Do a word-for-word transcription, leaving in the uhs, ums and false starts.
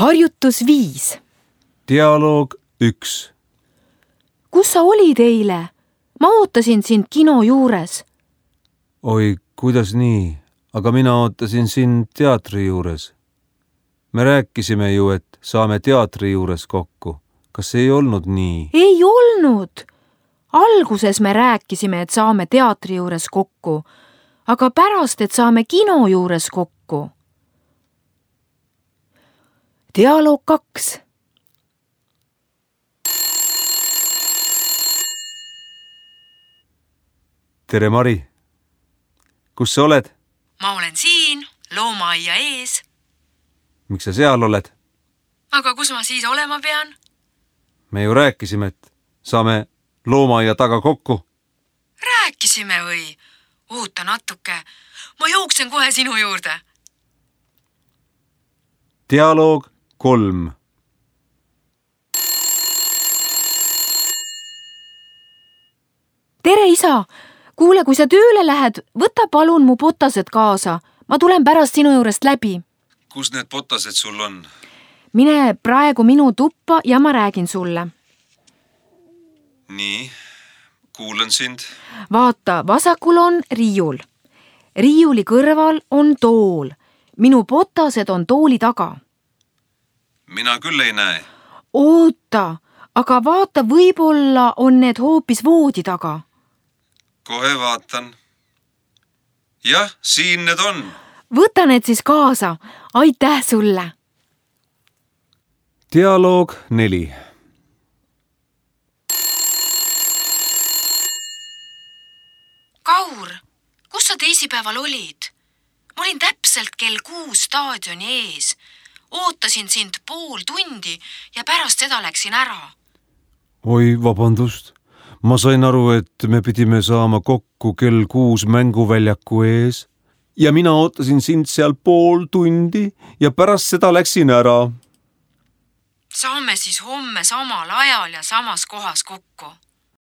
Harjutus viis. Dialoog üks. Kus sa olid eile? Ma ootasin sind kino juures. Oi, kuidas nii? Aga mina ootasin sind teatri juures. Me rääkisime ju, et saame teatri juures kokku. Kas ei olnud nii? Ei olnud. Alguses me rääkisime, et saame teatri juures kokku, aga pärast, et saame kino juures kokku. Dialoog kaks. Tere, Mari. Kus sa oled? Ma olen siin, loomaaia ees. Miks sa seal oled? Aga kus ma siis olema pean? Me ju rääkisime, et saame loomaaia taga kokku. Rääkisime või? Oota natuke. Ma jooksen kohe sinu juurde. Dialoog kolm. Tere, isa! Kuule, kui sa tööle lähed, võta palun mu potased kaasa. Ma tulen pärast sinu juurest läbi. Kus need potased sul on? Mine praegu minu tuppa ja ma räägin sulle. Nii, kuulan sind. Vaata, vasakul on riiul. Riiuli kõrval on tool. Minu potased on tooli taga. Mina küll ei näe. Oota, aga vaata, võib-olla on need hoopis voodi taga. Kohe vaatan. Jah, siin need on. Võta need siis kaasa. Aitäh sulle. Dialoog neli. Kaur, kus sa teisipäeval olid? Ma olin täpselt kell kuus staadioni ees. Ootasin sind pool tundi ja pärast seda läksin ära. Oi, vabandust. Ma sain aru, et me pidime saama kokku kell kuus mänguväljaku ees ja mina ootasin sind seal pool tundi ja pärast seda läksin ära. Saame siis homme samal ajal ja samas kohas kokku.